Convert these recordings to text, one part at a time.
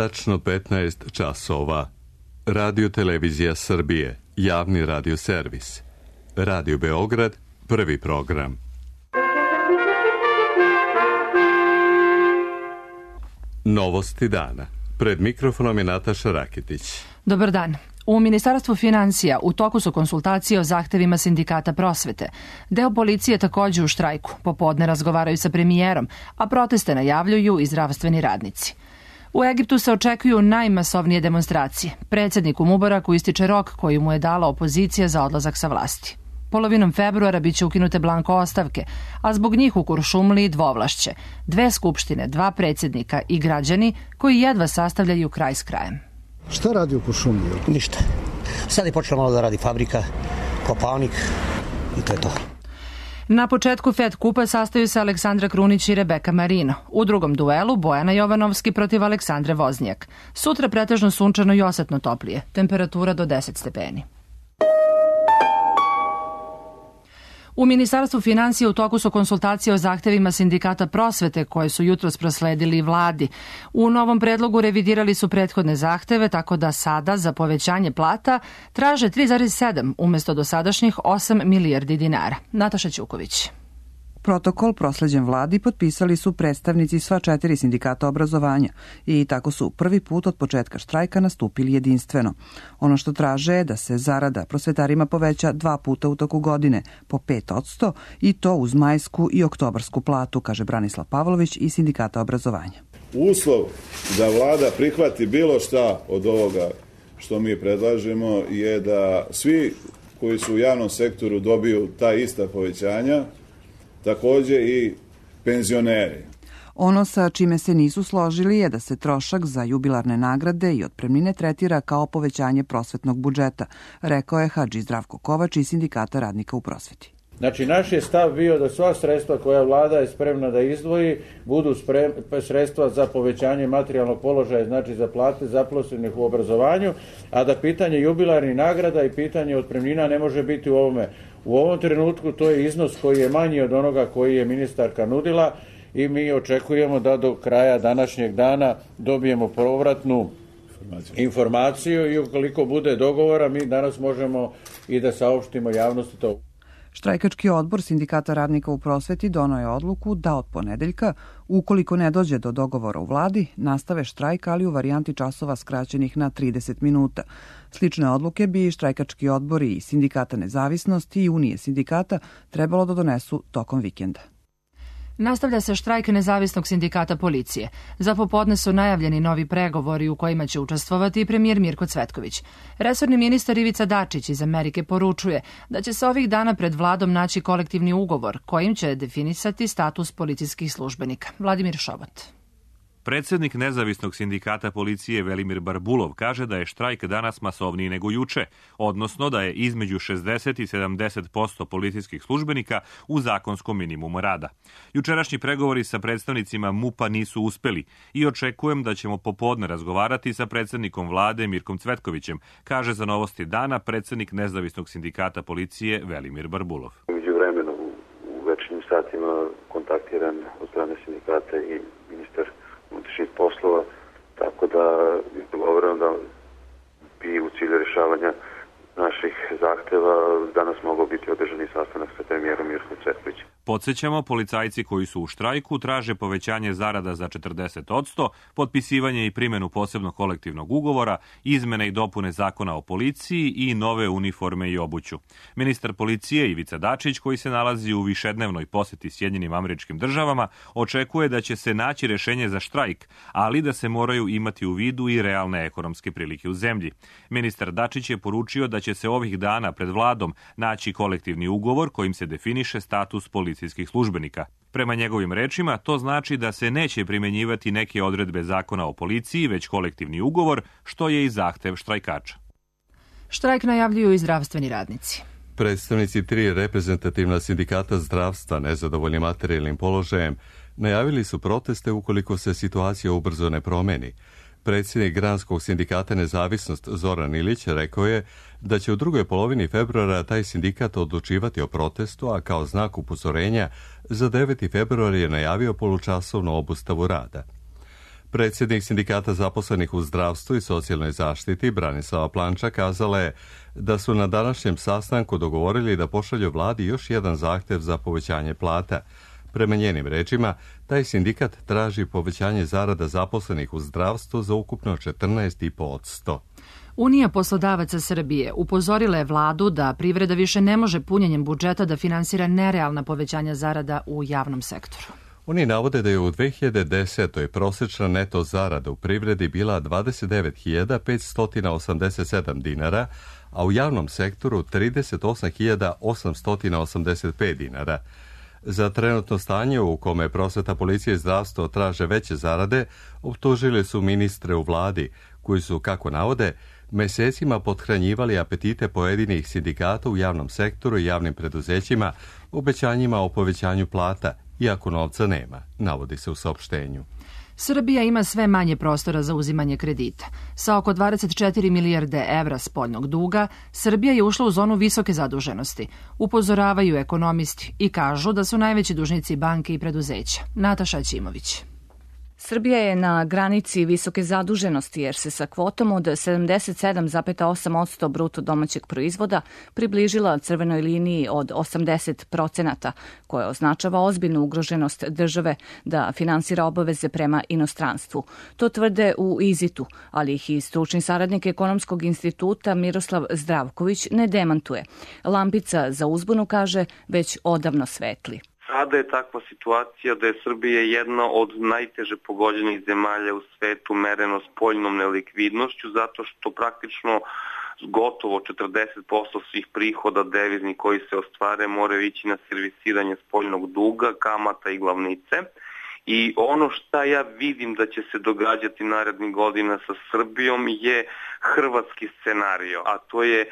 tačno 15 časova. Radio Televizija Srbije, javni radio servis. Radio Beograd, prvi program. Novosti dana. Pred mikrofonom je Nataša Rakitić. Dobar dan. U Ministarstvu finansija u toku su konsultacije o zahtevima sindikata prosvete. Deo policije takođe u štrajku. Popodne razgovaraju sa premijerom, a proteste najavljuju i zdravstveni radnici. U Egiptu se očekuju najmasovnije demonstracije. Predsjedniku Mubaraku ističe rok koji mu je dala opozicija za odlazak sa vlasti. Polovinom februara biće ukinute blanko ostavke, a zbog njih u Kuršumliji dvovlašće. 2 skupštine, 2 predsjednika i građani koji jedva sastavljaju kraj s krajem. Šta radi u Kuršumliji? Ništa. Sad je počela malo da radi fabrika, kopalnik i to je to. Na početku Fed kupa sastaju se Aleksandra Krunić i Rebeka Marino. U drugom duelu Bojana Jovanovski protiv Aleksandre Voznjak. Sutra pretežno sunčano i osetno toplije. Temperatura do 10 stepeni. U Ministarstvu finansija u toku su konsultacije o zahtevima sindikata prosvete koje su jutros prosledili vladi. U novom predlogu revidirali su prethodne zahteve, tako da sada za povećanje plata traže 3,7 umjesto dosadašnjih 8 milijardi dinara. Nataša Ćuković. Protokol prosleđen vladi potpisali su predstavnici sva 4 sindikata obrazovanja i tako su prvi put od početka štrajka nastupili jedinstveno. Ono što traže je da se zarada prosvetarima poveća 2 puta u toku godine po 5% i to uz majsku i oktobarsku platu, kaže Branislav Pavlović iz sindikata obrazovanja. Uslov da vlada prihvati bilo šta od ovoga što mi predlažemo je da svi koji su u javnom sektoru dobiju ta ista povećanja, takođe i penzioneri. Ono sa čime se nisu složili je da se trošak za jubilarne nagrade i otpremnine tretira kao povećanje prosvetnog budžeta, rekao je Hadži Zdravko Kovač iz sindikata radnika u prosveti. Znači, naš je stav bio da sva sredstva koja vlada je spremna da izdvoji budu sredstva za povećanje materijalnog položaja, znači za plate zaposlenih u obrazovanju, a da pitanje jubilarnih nagrada i pitanje otpremnina ne može biti u ovome. U ovom trenutku to je iznos koji je manji od onoga koji je ministarka nudila i mi očekujemo da do kraja današnjeg dana dobijemo povratnu informaciju i ukoliko bude dogovora mi danas možemo i da saopštimo javnosti to. Štrajkački odbor sindikata radnika u prosveti doneo je odluku da od ponedeljka, ukoliko ne dođe do dogovora u vladi, nastave štrajk, ali u varijanti časova skraćenih na 30 minuta. Slične odluke bi štrajkački odbori i sindikata nezavisnosti i unije sindikata trebalo da donesu tokom vikenda. Nastavlja se štrajk nezavisnog sindikata policije. Za popodne su najavljeni novi pregovori u kojima će učestvovati i premijer Mirko Cvetković. Resorni ministar Ivica Dačić iz Amerike poručuje da će se ovih dana pred vladom naći kolektivni ugovor kojim će definisati status policijskih službenika. Vladimir Šobot. Predsjednik nezavisnog sindikata policije Velimir Barbulov kaže da je štrajk danas masovniji nego juče, odnosno da je između 60 i 70% policijskih službenika u zakonskom minimumu rada. Jučerašnji pregovori sa predstavnicima MUP-a nisu uspeli i očekujem da ćemo popodne razgovarati sa predsjednikom vlade Mirkom Cvetkovićem, kaže za Novosti dana predsjednik nezavisnog sindikata policije Velimir Barbulov. Međuvremeno u večernjim satima kontaktiran od strane sindikata i ministar unutrašnjih poslova, tako da je dogovoreno da bi u cilju rješavanja naših zahteva danas mogao biti održani sastanak sa premijerom Mirkom Cvetkovićem. Podsjećamo, policajci koji su u štrajku traže povećanje zarada za 40%, potpisivanje i primjenu posebnog kolektivnog ugovora, izmene i dopune zakona o policiji i nove uniforme i obuću. Ministar policije Ivica Dačić, koji se nalazi u višednevnoj posjeti Sjedinjenim Američkim Državama, očekuje da će se naći rješenje za štrajk, ali da se moraju imati u vidu i realne ekonomske prilike u zemlji. Ministar Dačić je poručio da će se ovih dana pred vladom naći kolektivni ugovor kojim se definiše status policijskih službenika. Prema njegovim rečima, to znači da se neće primjenjivati neke odredbe zakona o policiji, već kolektivni ugovor, što je i zahtev štrajkača. Štrajk najavljuju i zdravstveni radnici. Predstavnici 3 reprezentativna sindikata zdravstva nezadovoljni materijalnim položajem najavili su proteste ukoliko se situacija ubrzo ne promeni. Predsjednik Granskog sindikata Nezavisnost Zoran Ilić rekao je da će u drugoj polovini februara taj sindikat odlučivati o protestu, a kao znak upozorenja za 9. februar je najavio polučasovnu obustavu rada. Predsjednik sindikata zaposlenih u zdravstvu i socijalnoj zaštiti Branislava Planča kazala je da su na današnjem sastanku dogovorili da pošalju vladi još jedan zahtev za povećanje plata. Prema njenim rečima, taj sindikat traži povećanje zarada zaposlenih u zdravstvu za ukupno 14,5%. Unija poslodavaca Srbije upozorila je vladu da privreda više ne može punjenjem budžeta da finansira nerealna povećanja zarada u javnom sektoru. Oni navode da je u 2010. prosječna neto zarada u privredi bila 29.587 dinara, a u javnom sektoru 38.885 dinara. Za trenutno stanje u kome prosveta, policija i zdravstvo traže veće zarade, optužili su ministre u vladi, koji su, kako navode, mesecima pothranjivali apetite pojedinih sindikata u javnom sektoru i javnim preduzećima obećanjima o povećanju plata, iako novca nema, navodi se u saopštenju. Srbija ima sve manje prostora za uzimanje kredita. Sa oko 24 milijarde evra spoljnog duga, Srbija je ušla u zonu visoke zaduženosti. Upozoravaju ekonomisti i kažu da su najveći dužnici banke i preduzeća. Nataša Ćimović. Srbija je na granici visoke zaduženosti jer se sa kvotom od 77,8% bruto domaćeg proizvoda približila crvenoj liniji od 80%, koja označava ozbiljnu ugroženost države da finansira obaveze prema inostranstvu. To tvrde u IZIT-u, ali ih i stručni saradnik Ekonomskog instituta Miroslav Zdravković ne demantuje. Lampica za uzbunu, kaže, već odavno svetli. Sada je takva situacija da je Srbija jedna od najteže pogođenih zemalja u svetu mereno spoljnom nelikvidnošću, zato što praktično gotovo 40% svih prihoda deviznih koji se ostvare moraju ići na servisiranje spoljnog duga, kamata i glavnice. I ono šta ja vidim da će se događati narednih godina sa Srbijom je hrvatski scenario, a to je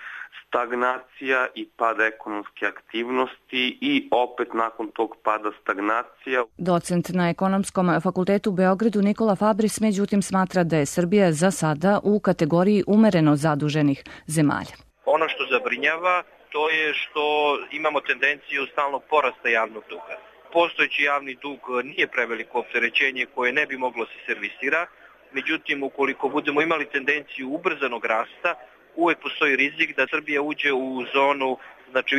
stagnacija i pad ekonomske aktivnosti i opet nakon tog pada stagnacija. Docent na Ekonomskom fakultetu u Beogradu Nikola Fabris međutim smatra da je Srbija za sada u kategoriji umereno zaduženih zemalja. Ono što zabrinjava to je što imamo tendenciju stalnog porasta javnog duga. Postojeći javni dug nije preveliko opterećenje koje ne bi moglo se servisira, međutim ukoliko budemo imali tendenciju ubrzanog rasta, uvek postoji rizik da Srbija uđe u zonu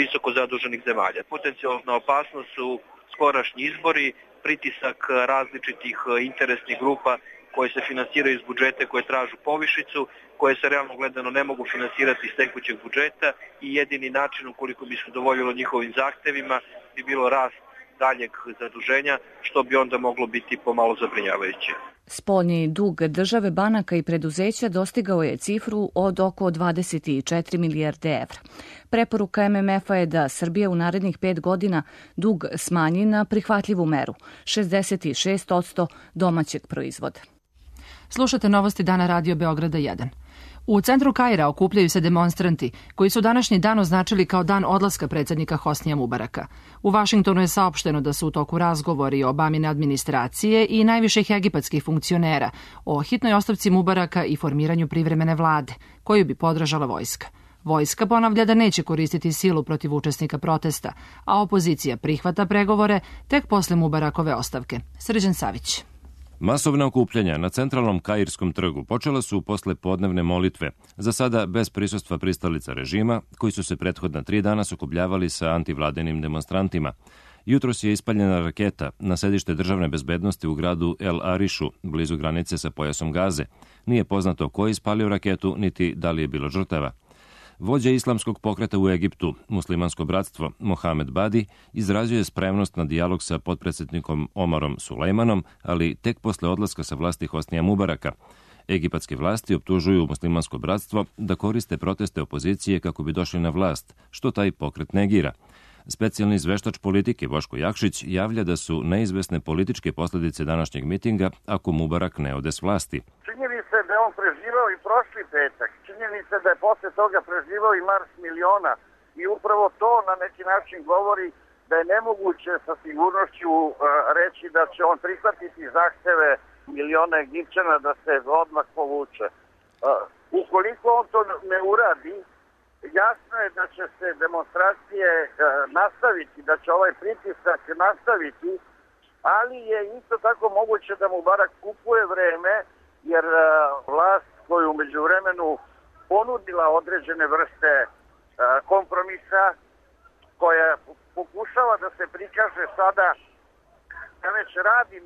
visoko zaduženih zemalja. Potencijalna opasnost su skorašnji izbori, pritisak različitih interesnih grupa koje se finansiraju iz budžeta, koje tražu povišicu, koje se realno gledano ne mogu finansirati iz tekućeg budžeta i jedini način ukoliko bi se udovoljilo njihovim zahtevima bi bilo rast daljeg zaduženja, što bi onda moglo biti pomalo zabrinjavajuće. Spoljni dug države, banaka i preduzeća dostigao je cifru od oko 24 milijarde evra. Preporuka MMF-a je da Srbija u narednih 5 godina dug smanji na prihvatljivu meru, 66% domaćeg proizvoda. Slušate novosti Dana Radio Beograda 1. U centru Kaira okupljaju se demonstranti koji su današnji dan označili kao dan odlaska predsjednika Hosnija Mubaraka. U Vašingtonu je saopšteno da su u toku razgovori Obamine administracije i najviših egipatskih funkcionera o hitnoj ostavci Mubaraka i formiranju privremene vlade, koju bi podržala vojska. Vojska ponavlja da neće koristiti silu protiv učesnika protesta, a opozicija prihvata pregovore tek posle Mubarakove ostavke. Srđan Savić. Masovna okupljanja na centralnom Kairskom trgu počela su posle podnevne molitve, za sada bez prisustva pristalica režima, koji su se prethodna 3 dana sukobljavali sa antivladenim demonstrantima. Jutros je ispaljena raketa na sedište državne bezbednosti u gradu El Arišu, blizu granice sa pojasom Gaze. Nije poznato ko je ispalio raketu, niti da li je bilo žrtava. Vođa islamskog pokreta u Egiptu, muslimansko bratstvo, Mohamed Badi, izrazio je spremnost na dijalog sa potpredsjednikom Omarom Sulejmanom, ali tek posle odlaska sa vlasti Hosnija Mubaraka. Egipatske vlasti optužuju muslimansko bratstvo da koriste proteste opozicije kako bi došli na vlast, što taj pokret negira. Specijalni izveštač politike Boško Jakšić javlja da su neizvesne političke posljedice današnjeg mitinga ako Mubarak ne ode s vlasti. Činjenica je da je on preživao i prošli petak. Činjenica je da je posle toga preživao i Mars miliona. I upravo to na neki način govori da je nemoguće sa sigurnošću reći da će on prihvatiti zahteve miliona Egipćana da se odmah povuče. Ukoliko on to ne uradi, jasno je da će se demonstracije nastaviti, da će ovaj pritisak nastaviti ali je isto tako moguće da Mubarak kupuje vreme, jer vlast koju u međuvremenu ponudila određene vrste kompromisa, koja pokušava da se prikaže sada da već radi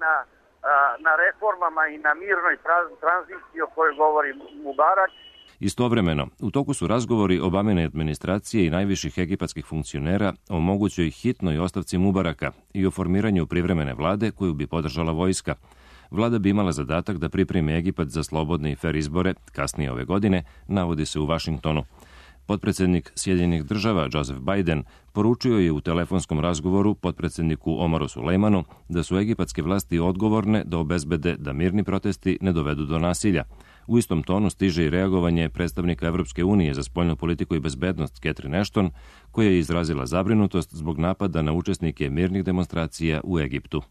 na reformama i na mirnoj tranziciji o kojoj govori Mubarak. Istovremeno, u toku su razgovori Obamine administracije i najviših egipatskih funkcionera o mogućoj hitnoj ostavci Mubaraka i o formiranju privremene vlade koju bi podržala vojska. Vlada bi imala zadatak da pripremi Egipat za slobodne i fer izbore kasnije ove godine, navodi se u Vašingtonu. Potpredsednik Sjedinjenih država Joseph Biden poručio je u telefonskom razgovoru potpredsedniku Omaru Sulejmanu da su egipatske vlasti odgovorne da obezbede da mirni protesti ne dovedu do nasilja. U istom tonu stiže i reagovanje predstavnika Evropske unije za spoljnu politiku i bezbednost Catherine Ashton, koja je izrazila zabrinutost zbog napada na učesnike mirnih demonstracija u Egiptu.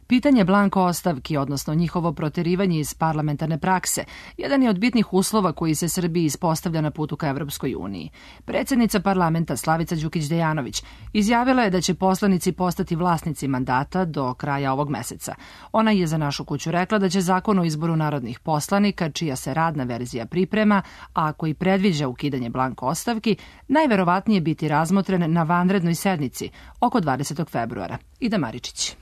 Pitanje blanko ostavki, odnosno njihovo proterivanje iz parlamentarne prakse, jedan je od bitnih uslova koji se Srbiji ispostavlja na putu ka Evropskoj uniji. Predsjednica parlamenta Slavica Đukić-Dejanović izjavila je da će poslanici postati vlasnici mandata do kraja ovog meseca. Ona je za Našu kuću rekla da će zakon o izboru narodnih poslanika, čija se radna verzija priprema, a koji predviđa ukidanje blanko ostavki, najverovatnije biti razmotren na vanrednoj sednici oko 20. februara. Ida Maričić.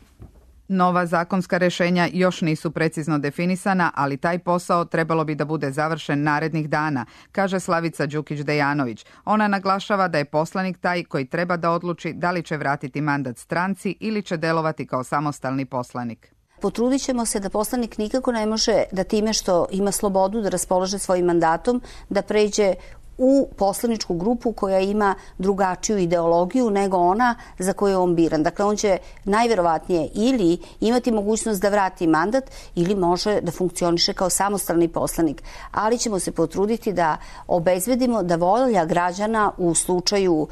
Nova zakonska rešenja još nisu precizno definisana, ali taj posao trebalo bi da bude završen narednih dana, kaže Slavica Đukić-Dejanović. Ona naglašava da je poslanik taj koji treba da odluči da li će vratiti mandat stranci ili će delovati kao samostalni poslanik. Potrudit ćemo se da poslanik nikako ne može da time što ima slobodu da raspolaže svojim mandatom, da pređe u poslaničku grupu koja ima drugačiju ideologiju nego ona za koju je on biran. Dakle, on će najverovatnije ili imati mogućnost da vrati mandat ili može da funkcioniše kao samostalni poslanik. Ali ćemo se potruditi da obezbedimo da volja građana u slučaju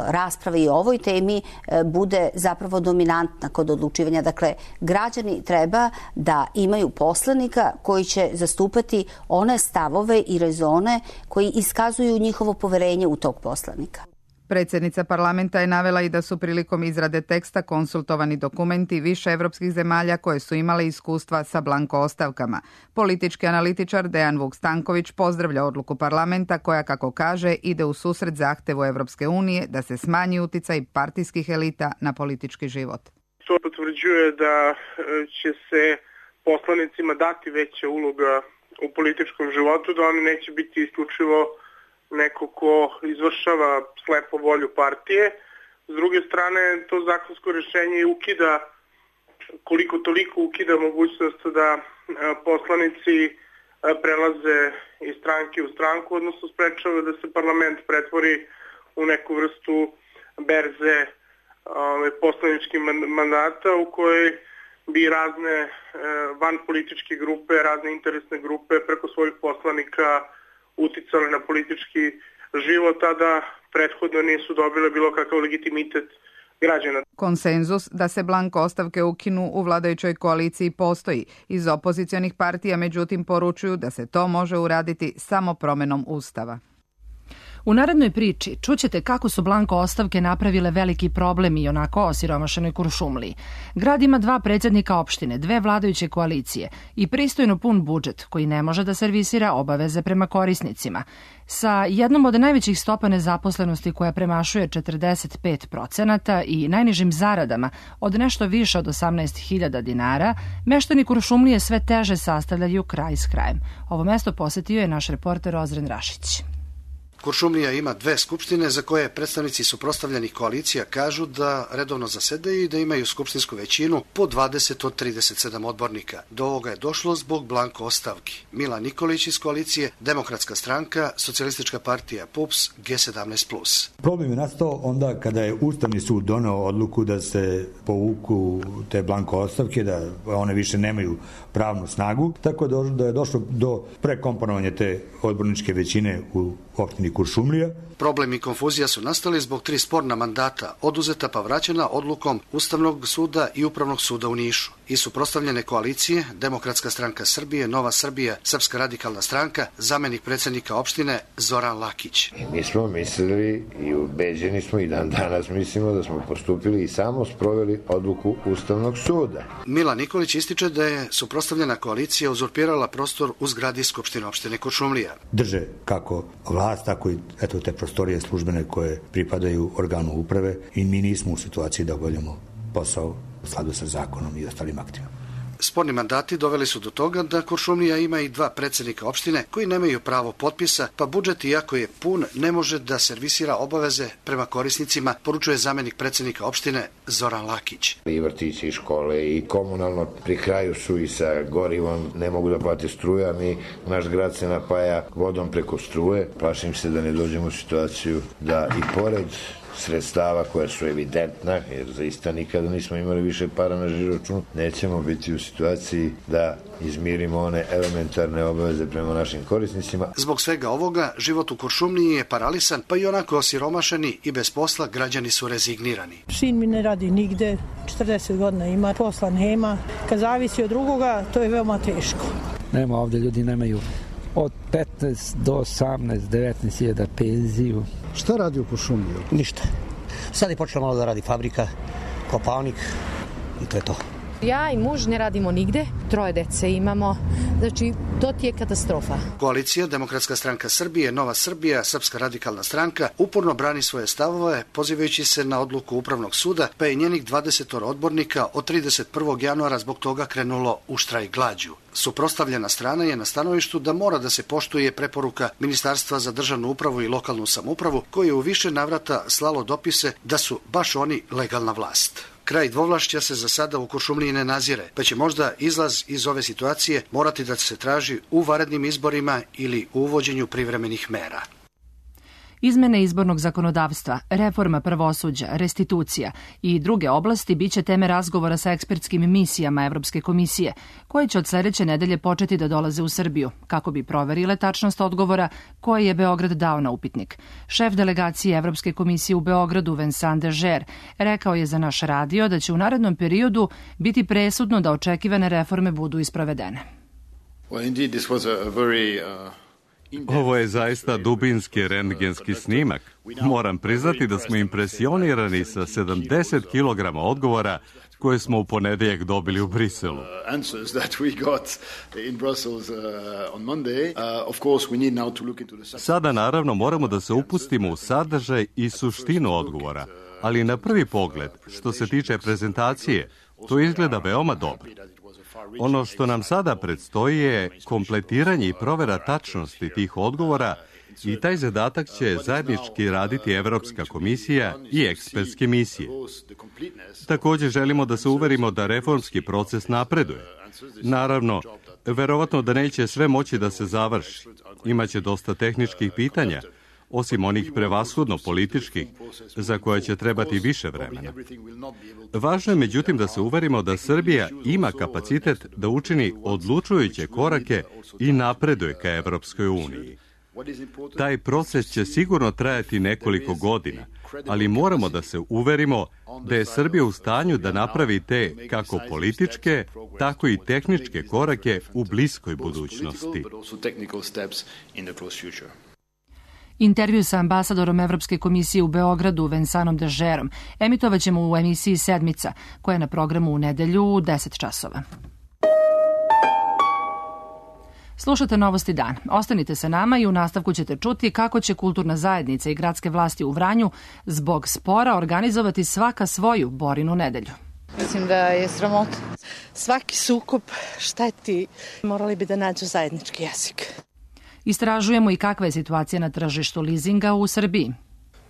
rasprave i o ovoj temi bude zapravo dominantna kod odlučivanja. Dakle, građani treba da imaju poslanika koji će zastupati one stavove i rezone koji iskazuju njihovo poverenje u tog poslanika. Predsjednica parlamenta je navela i da su prilikom izrade teksta konsultovani dokumenti više evropskih zemalja koje su imale iskustva sa blanko ostavkama. Politički analitičar Dejan Vuk-Stanković pozdravlja odluku parlamenta koja, kako kaže, ide u susret zahtevu Evropske unije da se smanji uticaj partijskih elita na politički život. To potvrđuje da će se poslanicima dati veća uloga u političkom životu, da oni neće biti isključivo neko ko izvršava slepo volju partije. S druge strane, to zakonsko rješenje ukida, koliko toliko ukida mogućnost da poslanici prelaze iz stranke u stranku, odnosno sprečava da se parlament pretvori u neku vrstu berze poslaničkih mandata u kojoj bi razne vanpolitičke grupe, razne interesne grupe preko svojih poslanika uticali na politički život, a da prethodno nisu dobile bilo kakav legitimitet građana. Konsenzus da se blanko ostavke ukinu u vladajućoj koaliciji postoji. Iz opozicionih partija međutim poručuju da se to može uraditi samo promenom Ustava. U narednoj priči čućete kako su blanko ostavke napravile veliki problem i onako osiromašenoj Kuršumliji. Grad ima 2 predsjednika opštine, 2 vladajuće koalicije i pristojno pun budžet koji ne može da servisira obaveze prema korisnicima. Sa jednom od najvećih stopa nezaposlenosti koja premašuje 45% i najnižim zaradama od nešto više od 18.000 dinara, meštani Kuršumlije sve teže sastavljaju kraj s krajem. Ovo mesto posetio je naš reporter Ozren Rašić. Kuršumlija ima 2 skupštine za koje predstavnici suprotstavljenih koalicija kažu da redovno zasedaju i da imaju skupštinsku većinu po 20 od 37 odbornika. Do ovoga je došlo zbog blanko ostavki. Milan Nikolić iz koalicije, Demokratska stranka, Socijalistička partija PUPS, G17+. Problem je nastao onda kada je Ustavni sud doneo odluku da se povuku te blanko ostavke, da one više nemaju pravnu snagu, tako da je došlo do prekomponovanja te odborničke većine u opštini Kuršumlija Problem i konfuzija su nastali zbog 3 sporna mandata, oduzeta pa vraćena odlukom Ustavnog suda i Upravnog suda u Nišu. I suprotstavljene koalicije, Demokratska stranka Srbije, Nova Srbija, Srpska radikalna stranka, zamenik predsjednika opštine Zoran Lakić. Mi smo mislili i ubeđeni smo i dan danas mislimo da smo postupili i samo sproveli odluku Ustavnog suda. Milan Nikolić ističe da je suprotstavljena koalicija uzurpirala prostor u zgradi Skupštine opštine Kuršumlija. Drže kako vlast, tako i te prostorije službene koje pripadaju organu uprave i mi nismo u situaciji da obavljamo posao u skladu sa zakonom i ostalim aktima. Sporni mandati doveli su do toga da Kuršumlija ima i 2 predsjednika opštine koji nemaju pravo potpisa, pa budžet, iako je pun, ne može da servisira obaveze prema korisnicima, poručuje zamenik predsjednika opštine Zoran Lakić. I vrtići, i škole, i komunalno pri kraju su i sa gorivom, ne mogu da plate struja, naš grad se napaja vodom preko struje. Plašim se da ne dođemo u situaciju da i pored sredstava koja su evidentna, jer zaista nikada nismo imali više para na žiroračunu, nećemo biti u situaciji da izmirimo one elementarne obaveze prema našim korisnicima. Zbog svega ovoga, život u Kuršumliji je paralisan, pa i onako osiromašeni i bez posla građani su rezignirani. Sin mi ne radi nigde, 40 godina ima, posla nema. Kad zavisi od drugoga, to je veoma teško. Nema ovde, ljudi nemaju od 15 do 18, 19.000 penziju. Šta radi u Kuršumliji? Ništa. Sad je počela malo da radi fabrika, kopalnik i to je to. Ja i muž ne radimo nigde, 3 dece imamo, znači to ti je katastrofa. Koalicija Demokratska stranka Srbije, Nova Srbija, Srpska radikalna stranka uporno brani svoje stavove, pozivajući se na odluku Upravnog suda, pa je njenih 20 odbornika od 31. januara zbog toga krenulo u štrajk glađu. Suprotstavljena strana je na stanovištu da mora da se poštuje preporuka Ministarstva za državnu upravu i lokalnu samoupravu, koje je u više navrata slalo dopise da su baš oni legalna vlast. Kraj dvovlašća se za sada u Kuršumliji ne nazire, pa će možda izlaz iz ove situacije morati da se traži u vanrednim izborima ili u uvođenju privremenih mera. Izmene izbornog zakonodavstva, reforma pravosuđa, restitucija i druge oblasti biće teme razgovora sa ekspertskim misijama Evropske komisije, koje će od sledeće nedelje početi da dolaze u Srbiju, kako bi proverile tačnost odgovora koje je Beograd dao na upitnik. Šef delegacije Evropske komisije u Beogradu, Vincent Dežer, rekao je za naš radio da će u narednom periodu biti presudno da očekivane reforme budu isprovedene. Ovo je zaista dubinski rentgenski snimak. Moram priznati da smo impresionirani sa 70 kg odgovora koje smo u ponedeljak dobili u Briselu. Sada naravno moramo da se upustimo u sadržaj i suštinu odgovora, ali na prvi pogled, što se tiče prezentacije, to izgleda veoma dobro. Ono što nam sada predstoji je kompletiranje i provera tačnosti tih odgovora i taj zadatak će zajednički raditi Evropska komisija i ekspertske misije. Također želimo da se uverimo da reformski proces napreduje. Naravno, verovatno da neće sve moći da se završi. Imaće dosta tehničkih pitanja, osim onih prevashodno političkih, za koje će trebati više vremena. Važno je međutim da se uverimo da Srbija ima kapacitet da učini odlučujuće korake i napreduje ka Evropskoj uniji. Taj proces će sigurno trajati nekoliko godina, ali moramo da se uverimo da je Srbija u stanju da napravi te kako političke, tako i tehničke korake u bliskoj budućnosti. Intervju sa ambasadorom Evropske komisije u Beogradu, Vincentom Dežerom, emitovaćemo u emisiji Sedmica, koja je na programu u nedelju u 10 časova. Slušate Novosti dan. Ostanite sa nama i u nastavku ćete čuti kako će kulturna zajednica i gradske vlasti u Vranju zbog spora organizovati svaka svoju Borinu nedelju. Mislim da je sramota. Svaki sukob šteti, morali bi da nađu zajednički jezik. Istražujemo i kakva je situacija na tržištu lizinga u Srbiji.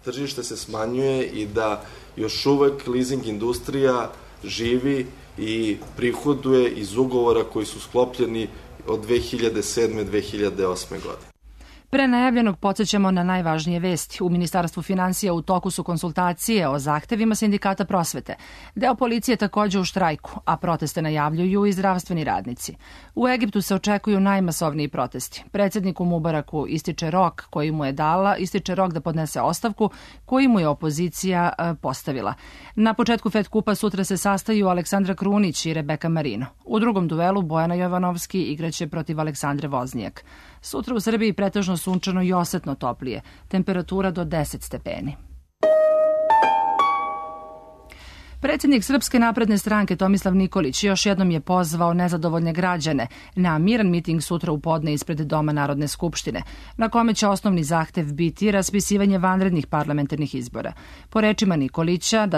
Tržište se smanjuje i da još uvek lizing industrija živi i prihoduje iz ugovora koji su sklopljeni od 2007. 2008. godine. Pre najavljenog podsjećamo na najvažnije vesti. U Ministarstvu finansija u toku su konsultacije o zahtevima sindikata prosvete. Deo policije takođe u štrajku, a proteste najavljuju i zdravstveni radnici. U Egiptu se očekuju najmasovniji protesti. Predsjedniku Mubaraku ističe rok da podnese ostavku koji mu je opozicija postavila. Na početku Fed kupa sutra se sastaju Aleksandra Krunić i Rebeka Marino. U drugom duelu Bojana Jovanovski igraće protiv Aleksandre Voznijak. Sutra u Srbiji pretežno sunčano i osetno toplije, temperatura do 10 stepeni. Predsjednik Srpske napredne stranke Tomislav Nikolić još jednom je pozvao nezadovoljne građane na miran miting sutra u podne ispred Doma Narodne skupštine, na kome će osnovni zahtev biti raspisivanje vanrednih parlamentarnih izbora. Po rečima Nikolića,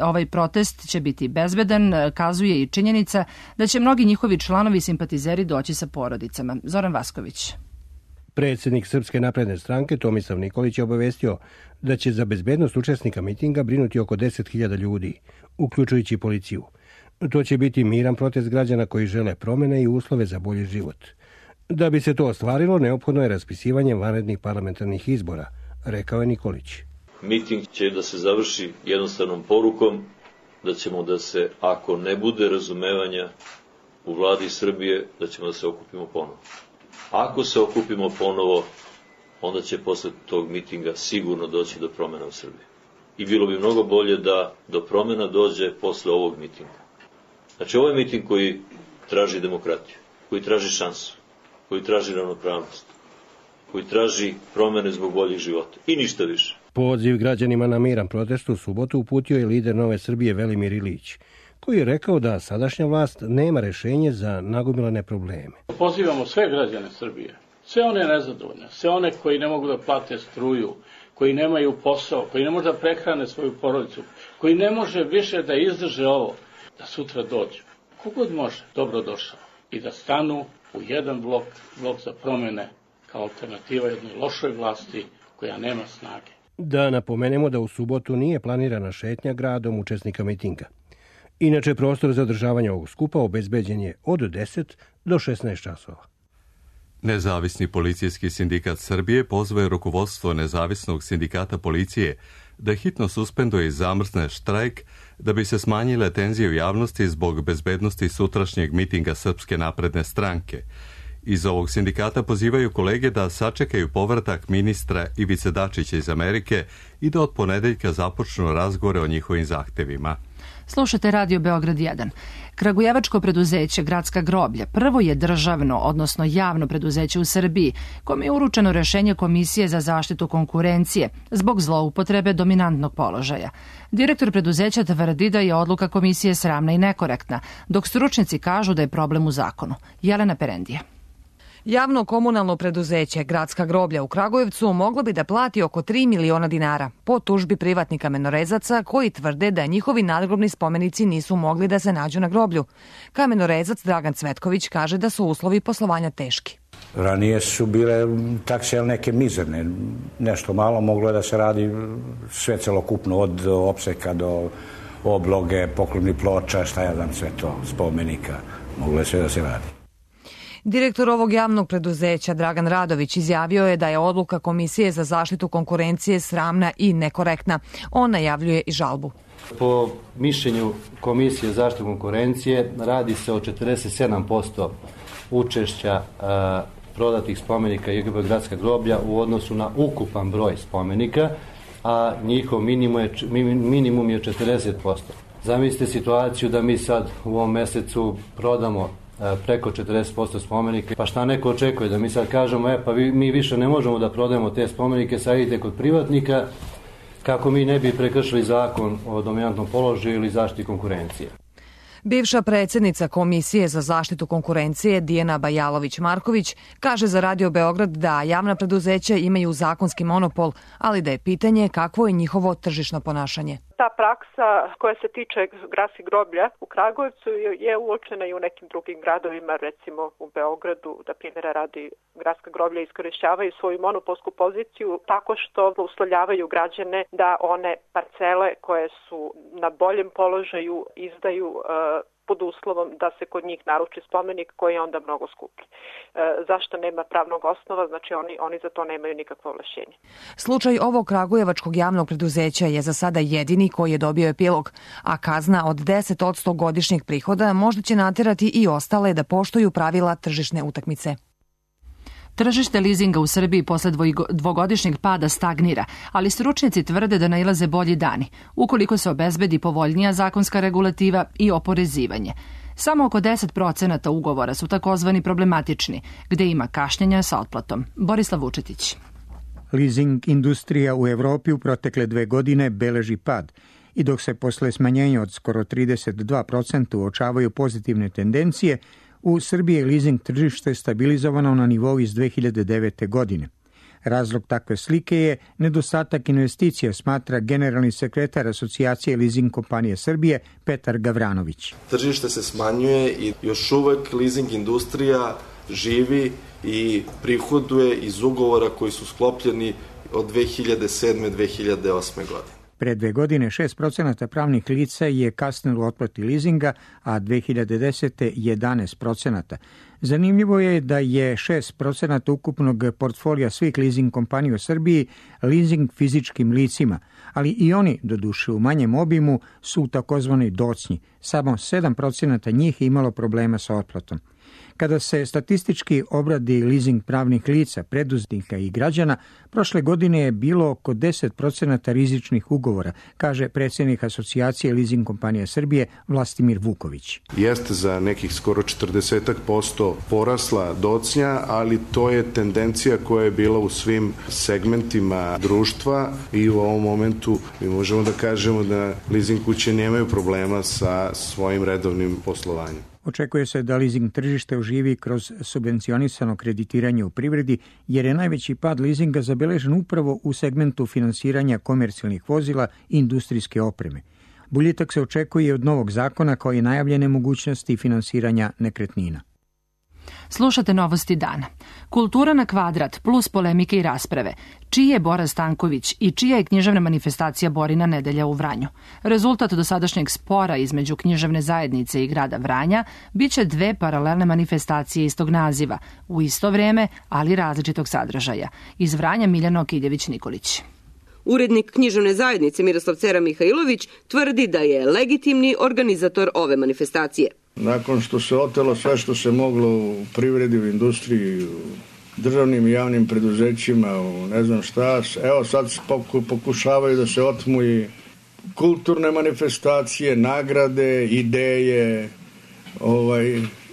ovaj protest će biti bezbedan, kazuje i činjenica da će mnogi njihovi članovi i simpatizeri doći sa porodicama. Zoran Vasković. Predsjednik Srpske napredne stranke Tomislav Nikolić je obavestio da će za bezbednost učesnika mitinga brinuti oko 10.000 ljudi, uključujući policiju. To će biti miran protest građana koji žele promene i uslove za bolji život. Da bi se to ostvarilo, neophodno je raspisivanje vanrednih parlamentarnih izbora, rekao je Nikolić. Miting će da se završi jednostavnom porukom da ćemo da se, ako ne bude razumevanja u vladi Srbije, da ćemo da se okupimo ponovo. Ako se okupimo ponovo, onda će posle tog mitinga sigurno doći do promjena u Srbiji. I bilo bi mnogo bolje da do promjena dođe posle ovog mitinga. Znači, ovo je miting koji traži demokratiju, koji traži šansu, koji traži ravnopravnost, koji traži promjene zbog boljih života i ništa više. Poziv građanima na miran protest u subotu uputio je lider Nove Srbije Velimir Ilić, koji je rekao da sadašnja vlast nema rešenje za nagomilane probleme. Pozivamo sve građane Srbije, sve one nezadovoljne, sve one koji ne mogu da plate struju, koji nemaju posao, koji ne može da prehrane svoju porodicu, koji ne može više da izdrže ovo, da sutra dođu. Kogod može, dobro došao. I da stanu u jedan blok za promjene kao alternativa jednoj lošoj vlasti koja nema snage. Da napomenemo da u subotu nije planirana šetnja gradom učesnika mitinga. Inače, prostor za održavanje ovog skupa obezbeđen je od 10 do 16 časova. Nezavisni policijski sindikat Srbije pozvao je rukovodstvo Nezavisnog sindikata policije da hitno suspenduje i zamrzne štrajk da bi se smanjile tenzije u javnosti zbog bezbednosti sutrašnjeg mitinga Srpske napredne stranke. Iz ovog sindikata pozivaju kolege da sačekaju povratak ministra Ivice Dačića iz Amerike i da od ponedeljka započnu razgovore o njihovim zahtevima. Slušate Radio Beograd 1. Kragujevačko preduzeće Gradska groblja prvo je državno, odnosno javno preduzeće u Srbiji, kome je uručeno rešenje Komisije za zaštitu konkurencije zbog zloupotrebe dominantnog položaja. Direktor preduzeća tvrdi da je odluka komisije sramna i nekorektna, dok stručnjaci kažu da je problem u zakonu. Jelena Perendija. Javno komunalno preduzeće Gradska groblja u Kragujevcu moglo bi da plati oko 3 miliona dinara po tužbi privatnih kamenorezaca koji tvrde da njihovi nadgrobni spomenici nisu mogli da se nađu na groblju. Kamenorezac Dragan Cvetković kaže da su uslovi poslovanja teški. Ranije su bile takse neke mizerne, nešto malo, moglo je da se radi sve celokupno, od opseka do obloge, poklonnih ploča, šta ja znam, sve to, spomenika, moglo je sve da se radi. Direktor ovog javnog preduzeća Dragan Radović izjavio je da je odluka Komisije za zaštitu konkurencije sramna i nekorektna. On najavljuje i žalbu. Po mišljenju Komisije za zaštitu konkurencije radi se o 47% učešća prodatih spomenika JGB Gradska groblja u odnosu na ukupan broj spomenika, a njihov minimum je 40%. Zamislite situaciju da mi sad u ovom mesecu prodamo preko 40% spomenika. Pa šta neko očekuje? Da mi sad kažemo, pa mi više ne možemo da prodajemo te spomenike, sad idite kod privatnika, kako mi ne bi prekršili zakon o dominantnom položaju ili zaštiti konkurencije. Bivša predsjednica Komisije za zaštitu konkurencije Dijana Bajalović-Marković kaže za Radio Beograd da javna preduzeća imaju zakonski monopol, ali da je pitanje kakvo je njihovo tržišno ponašanje. Ta praksa koja se tiče gradskih groblja u Kragujevcu je uočena i u nekim drugim gradovima, recimo u Beogradu, da primjera radi gradska groblja iskorišćavaju svoju monopolsku poziciju tako što uslovljavaju građane da one parcele koje su na boljem položaju izdaju pod uslovom da se kod njih naruči spomenik koji je onda mnogo skuplji. Zašto nema pravnog osnova? Znači oni za to nemaju nikakvo ovlašćenje. Slučaj ovog kragujevačkog javnog preduzeća je za sada jedini koji je dobio epilog, a kazna od 10% godišnjeg prihoda možda će naterati i ostale da poštuju pravila tržišne utakmice. Tržište lizinga u Srbiji posle dvogodišnjeg pada stagnira, ali stručnjaci tvrde da nailaze bolji dani, ukoliko se obezbedi povoljnija zakonska regulativa i oporezivanje. Samo oko 10% ugovora su takozvani problematični, gde ima kašnjenja sa otplatom. Borislav Vučetić. Leasing industrija u Evropi u protekle 2 godine beleži pad i dok se posle smanjenja od skoro 32% uočavaju pozitivne tendencije, u Srbiji je leasing tržište stabilizovano na nivou iz 2009. godine. Razlog takve slike je nedostatak investicija, smatra generalni sekretar Asocijacije leasing kompanije Srbije Petar Gavranović. Tržište se smanjuje i još uvek leasing industrija živi i prihoduje iz ugovora koji su sklopljeni od 2007. 2008. godine. Pre 2 godine 6% pravnih lica je kasnilo u otplati leasinga, a 2010. 11%. Zanimljivo je da je 6% ukupnog portfolija svih leasing kompanija u Srbiji leasing fizičkim licima, ali i oni, doduše u manjem obimu, su u takozvanoj docnji. Samo 7% njih je imalo problema sa otplatom. Kada se statistički obradi leasing pravnih lica, preduzetnika i građana, prošle godine je bilo oko 10% rizičnih ugovora, kaže predsjednik Asocijacije leasing kompanija Srbije Vlastimir Vuković. Jeste za nekih skoro 40% porasla docnja, ali to je tendencija koja je bila u svim segmentima društva i u ovom momentu mi možemo da kažemo da leasing kuće nemaju problema sa svojim redovnim poslovanjem. Očekuje se da leasing tržište oživi kroz subvencionisano kreditiranje u privredi, jer je najveći pad leasinga zabeležen upravo u segmentu finansiranja komercijalnih vozila i industrijske opreme. Boljitak se očekuje od novog zakona kao i najavljene mogućnosti finansiranja nekretnina. Slušate Novosti dana. Kultura na kvadrat plus polemike i rasprave. Čiji je Bora Stanković i čija je književna manifestacija Borina nedelja u Vranju? Rezultat dosadašnjeg spora između književne zajednice i grada Vranja biće 2 paralelne manifestacije istog naziva, u isto vreme, ali različitog sadržaja. Iz Vranja Miljana Okiljević-Nikolić. Urednik književne zajednice Miroslav Cera Mihajlović tvrdi da je legitimni organizator ove manifestacije. Nakon što se otelo sve što se moglo u privredi, u industriji, u državnim i javnim preduzećima, u ne znam šta, evo sad pokušavaju da se otmu i kulturne manifestacije, nagrade, ideje,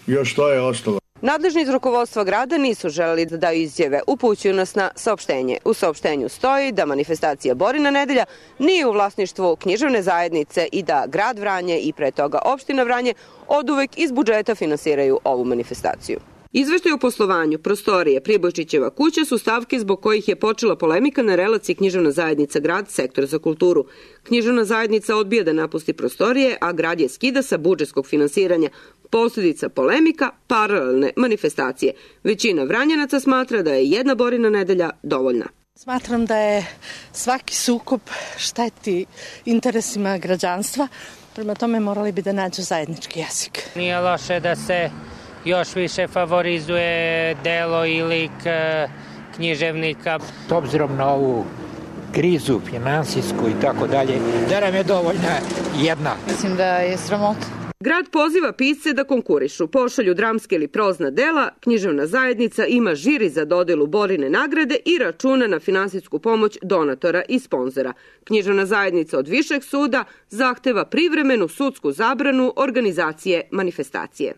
još to je ostalo. Nadležni iz rukovodstva grada nisu želeli da daju izjave, upućuju nas na saopštenje. U saopštenju stoji da manifestacija Borina nedelja nije u vlasništvu književne zajednice i da grad Vranje i pre toga opština Vranje oduvek iz budžeta finansiraju ovu manifestaciju. Izveštaj o poslovanju prostorije Pribojčićeva kuća su stavke zbog kojih je počela polemika na relaciji književna zajednica grad sektor za kulturu. Književna zajednica odbija da napusti prostorije, a grad je skida sa budžetskog finansiranja. Posljedica polemika, paralelne manifestacije. Većina Vranjanaca smatra da je jedna Borina nedelja dovoljna. Smatram da je svaki sukob šteti interesima građanstva, prema tome morali bi da nađu zajednički jezik. Nije loše da se još više favorizuje delo i lik književnika. S obzirom na ovu krizu finansijsku i tako dalje, da nam je dovoljna jedna. Mislim da je sramota. Grad poziva pisce da konkurišu, pošalju dramske ili prozna dela, književna zajednica ima žiri za dodelu Borine nagrade i računa na finansijsku pomoć donatora i sponzora. Književna zajednica od Višeg suda zahteva privremenu sudsku zabranu organizacije manifestacije.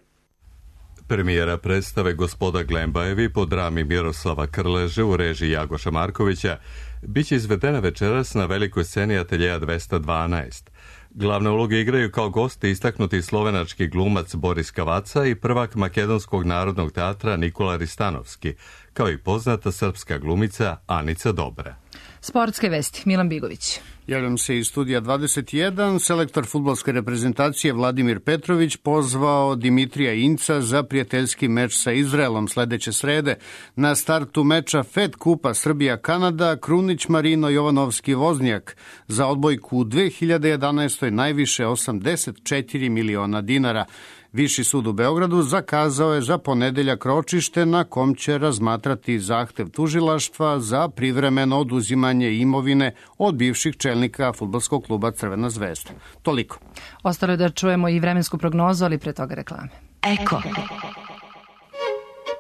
Premijera predstave Gospoda Glembajevi po drami Miroslava Krleže u režiji Jagoša Markovića biće izvedena večeras na velikoj sceni Ateljeja 212. Glavne uloge igraju kao gosti istaknuti slovenački glumac Boris Kavaca i prvak Makedonskog narodnog teatra Nikola Ristanovski, kao i poznata srpska glumica Anica Dobra. Sportske vesti, Milan Bigović. Javljam se iz studija 21. Selektor fudbalske reprezentacije Vladimir Petrović pozvao Dimitrija Inca za prijateljski meč sa Izraelom sledeće srede. Na startu meča Fed Kupa Srbija-Kanada Krunić Marino Jovanovski Voznjak za odbojku u 2011. najviše 84 miliona dinara. Viši sud u Beogradu zakazao je za ponedeljak ročište na kom će razmatrati zahtev tužilaštva za privremeno oduzimanje imovine od bivših čelnika fudbalskog kluba Crvena zvezda. Toliko. Ostalo je da čujemo i vremensku prognozu, ali pre toga reklame. Eko.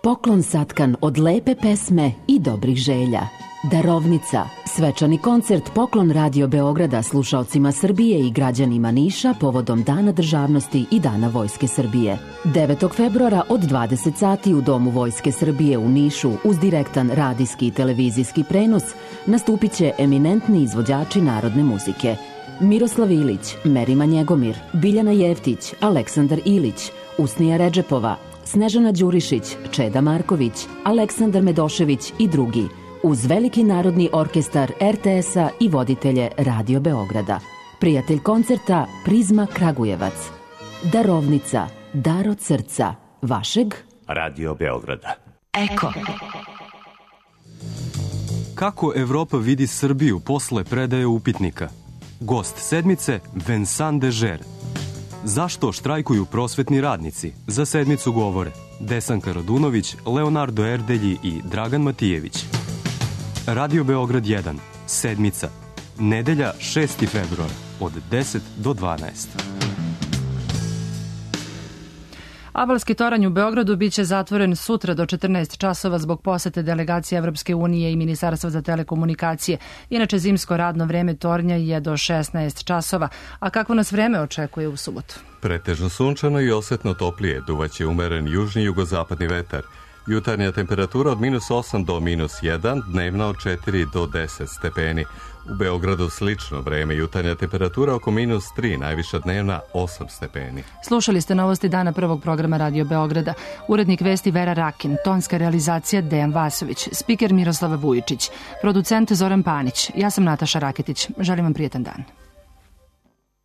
Poklon satkan od lepe pesme i dobrih želja. Darovnica. Svečani koncert Poklon Radio Beograda slušaocima Srbije i građanima Niša povodom Dana državnosti i Dana Vojske Srbije. 9. februara od 20 sati u Domu Vojske Srbije u Nišu uz direktan radijski i televizijski prenos nastupit će eminentni izvođači narodne muzike. Miroslav Ilić, Merima Njegomir, Biljana Jeftić, Aleksandar Ilić, Usnija Redžepova, Snežana Đurišić, Čeda Marković, Aleksandar Medošević i drugi, uz veliki narodni orkestar RTS-a i voditelje Radio Beograda. Prijatelj koncerta Prizma Kragujevac. Darovnica, dar od srca, vašeg Radio Beograda. Eko. Kako Evropa vidi Srbiju posle predaje upitnika? Gost sedmice Vincent Dežer. Zašto štrajkuju prosvetni radnici? Za sedmicu govore Desanka Radunović, Leonardo Erdelji i Dragan Matijević. Radio Beograd 1, sedmica, nedelja 6. februar, od 10 do 12. Abalski toranj u Beogradu biće zatvoren sutra do 14 časova zbog posete delegacije Evropske unije i Ministarstva za telekomunikacije. Inače, zimsko radno vreme tornja je do 16 časova. A kako nas vreme očekuje u subotu? Pretežno sunčano i osetno toplije, duvaće umeren južni i jugozapadni vetar. Jutarnja temperatura od -8 do -1, dnevna od 4 do 10 stepeni. U Beogradu slično vreme, jutarnja temperatura oko -3, najviša dnevna 8 stepeni. Slušali ste novosti dana prvog programa Radio Beograda. Urednik vesti Vera Rakin, tonska realizacija Dejan Vasović, spiker Miroslava Vujičić, producent Zoran Panić. Ja sam Nataša Raketić. Želim vam prijetan dan.